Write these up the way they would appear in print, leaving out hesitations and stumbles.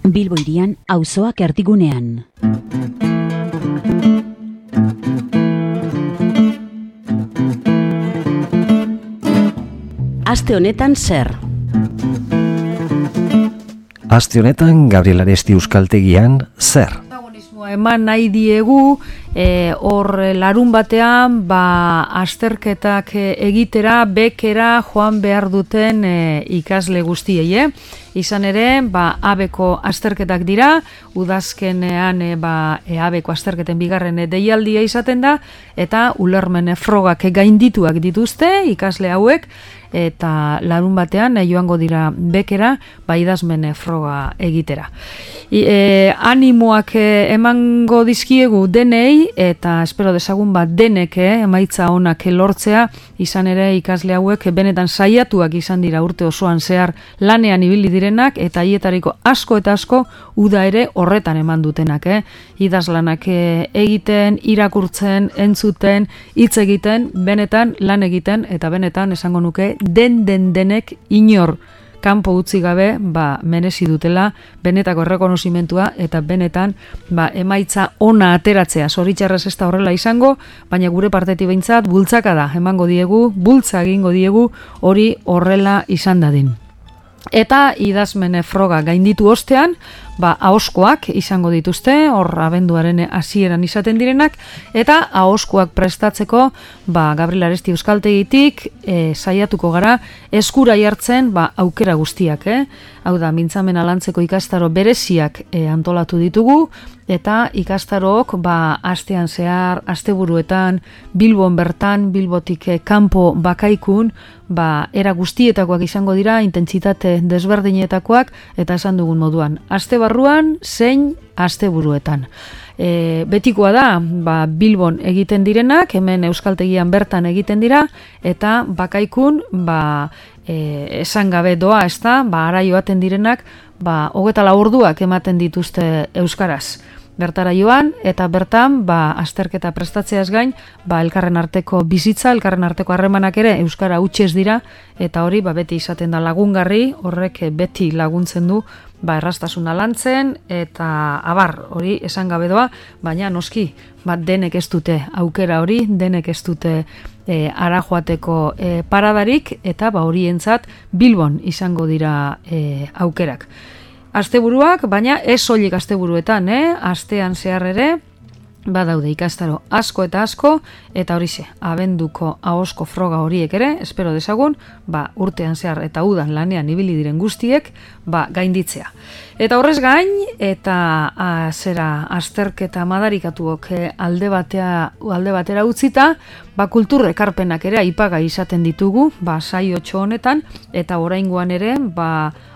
Bilbo hirian, auzoak erdigunean. Aste honetan zer? Aste honetan, Gabriel Aresti euskaltegian zer? Eman nahi diegu, hor larun batean, azterketak egitera, bekera joan behar duten ikasle guztiei. Izan ere, abeko azterketak dira, udazkenean abeko azterketen bigarren deialdia izaten da, eta ulermen frogak gaindituak dituzte ikasle hauek, eta larun batean joango dira bekera, idazmen froga egitera. Animoak emango dizkiegu denei, eta espero dezagun denek emaitza onak lortzea, izan ere ikasle hauek benetan saiatuak izan dira urte osoan zehar lanean ibili direnak, eta hietariko asko eta asko uda ere horretan eman dutenak. Idazlanak egiten, irakurtzen, entzuten, hitz egiten, benetan lan egiten, eta benetan esango nuke denek inor kanpo utzi gabe merezi dutela benetako errekonozimentua eta benetan emaitza ona ateratzea. Zoritxarrez ez da horrela izango, baina gure partetik behintzat bultzaka da emango diegu, bultza egingo diegu hori horrela izan dadin. Eta idazmen froga gainditu ostean, ahoskoak izango dituzte, hor abenduaren hasieran izaten direnak, eta ahoskoak prestatzeko, Gabriel Aresti euskaltegitik saiatuko gara eskura jartzen aukera guztiak. Hau da, mintzamena lantzeko ikastaro bereziak antolatu ditugu, eta ikastarook astean zehar, asteburuetan, Bilbon bertan, Bilbotik kanpo bakaikun, era guztietakoak izango dira, intentsitate desberdinetakoak, eta esan dugun moduan, aste barruan, zein asteburuetan. Betikoa da, Bilbon egiten direnak, hemen euskaltegian bertan egiten dira, eta bakaikun, esan gabe doa, ez da, ara joaten direnak, 24 orduak ematen dituzte euskaraz. Bertara joan, eta bertan, azterketa prestatzeaz gain, elkarren arteko bizitza, elkarren arteko harremanak ere euskara hutsez dira, eta hori beti izaten da lagungarri, horrek beti laguntzen du, erraztasuna lantzen, eta hori esan gabe doa, baina noski, denek ez dute aukera hori, denek ez dute ara joateko paradarik, eta horientzat Bilbon izango dira aukerak. Asteburuak, baina ez soilik asteburuetan, astean zehar ere, badaude ikastaro asko eta asko, eta horixe, abenduko ahosko froga horiek ere, espero dezagun, urtean zehar eta udan lanean ibili diren guztiek, gainditzea. Eta horrez gain, eta azterketa madarikatuok alde batera utzita, kultur ekarpenak ere aipaga izaten ditugu, saiotxo honetan, eta oraingoan ere,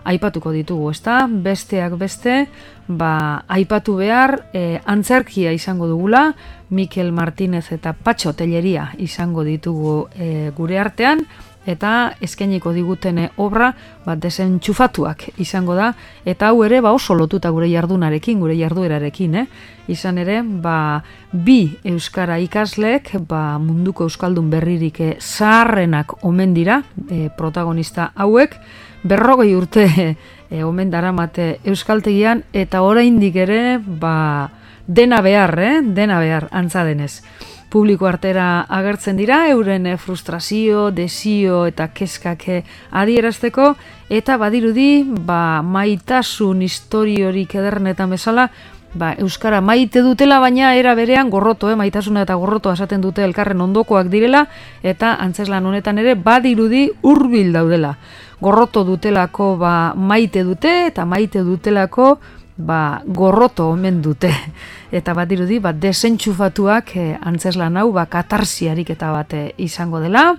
aipatuko ditugu, ezta? Besteak beste, aipatu behar, antzerkia izango dugula, Mikel Martinez eta Patxo Telleria izango ditugu gure artean, eta eskainiko diguten obra desentxufatuak izango da, eta hau ere oso lotuta gure jardunarekin, gure jarduerarekin. Izan ere, bi euskara ikasleek, munduko euskaldun berririk zaharrenak omen dira, protagonista hauek, 40 urte omen daramate euskaltegian, eta oraindik ere, dena behar, antza denez. Publiko artera agertzen dira, euren frustrazio, desio eta kezkak adierazteko, eta badirudi, maitasun historiorik edernetan bezala, euskara maite dutela, baina era berean gorroto, maitasuna eta gorroto esaten dute elkarren ondokoak direla, eta antzeslan honetan ere badirudi hurbil daudela. Gorroto dutelako maite dute, eta maite dutelako gorroto omen dute. Eta badirudi, desentxufatuak antzeslan hau, katarsiarik eta bat izango dela.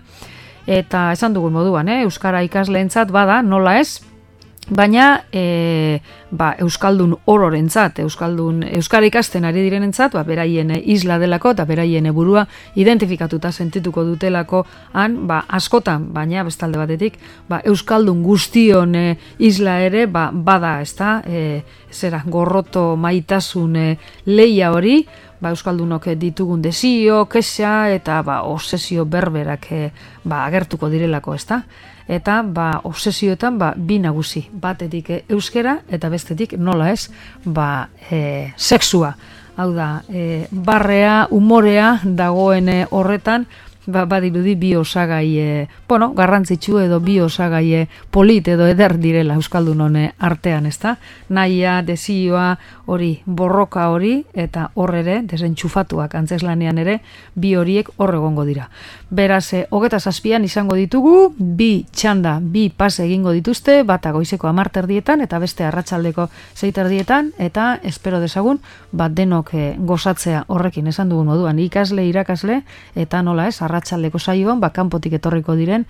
Eta esan dugun moduan, euskara ikasleentzat bada, nola ez, baina euskaldun ororentzat, euskara ikasten ari direnentzat, beraien isla delako eta beraien burua identifikatuta sentituko dutelako askotan, baina bestalde batetik, euskaldun guztion isla ere bada, ezta, gorroto maitasun leia hori, euskaldunok ditugun desio, kexa eta obsesio berberak agertuko direlako, ezta? Eta obsesioetan bi nagusi, batetik euskera eta bestetik nola ez, sexua. Hau da, barrea, umorea dagoen horretan, badirudi bi osagai, garrantzitsu edo bi osagai polit edo eder direla Euskaldunon artean, ezta? Nahia, desioa, hori, borroka hori, eta horre desentxufatuak antzeslanean ere, bi horiek egongo dira. Beraz, 27an izango ditugu, bi txanda, bi pase egingo dituzte, bata goizeko 10:00 eta beste arratsaldeko 6:00, eta espero dezagun, denok gozatzea horrekin esan dugun moduan, ikasle, irakasle, eta nola ez, arratsaldeko saioan, kanpotik etorriko diren,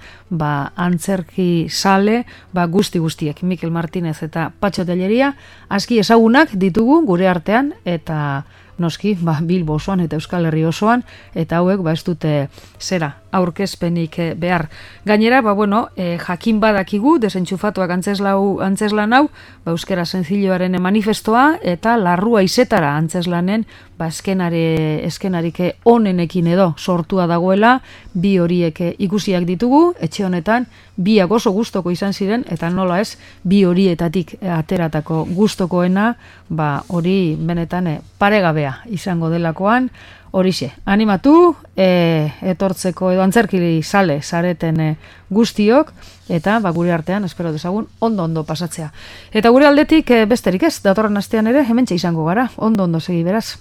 antzerki sale, guztiek, Mikel Martinez eta Patxo Telleria, aski ezagunak ditugu gure artean, eta noski, Bilbo osoan eta Euskal Herri osoan, eta hauek, ez dute aurkezpenik behar. Gainera, jakin badakigu, desentxufatuak antzeslan hau, euskera senzilloaren manifestoa, eta larrua izetara antzeslanen, eskenarik onenekin edo sortua dagoela, bi horiek ikusiak ditugu, etxe honetan, biak oso gustoko izan ziren, eta nola ez, bi horietatik ateratako gustokoena, hori benetan paregabea izango delakoan, horixe, animatu, etortzeko edo antzerkili sale zareten guztiok, eta gure artean, espero dezagun, ondo pasatzea. Eta gure aldetik besterik ez, datorren astean ere, hementxe izango gara, ondo segi beraz.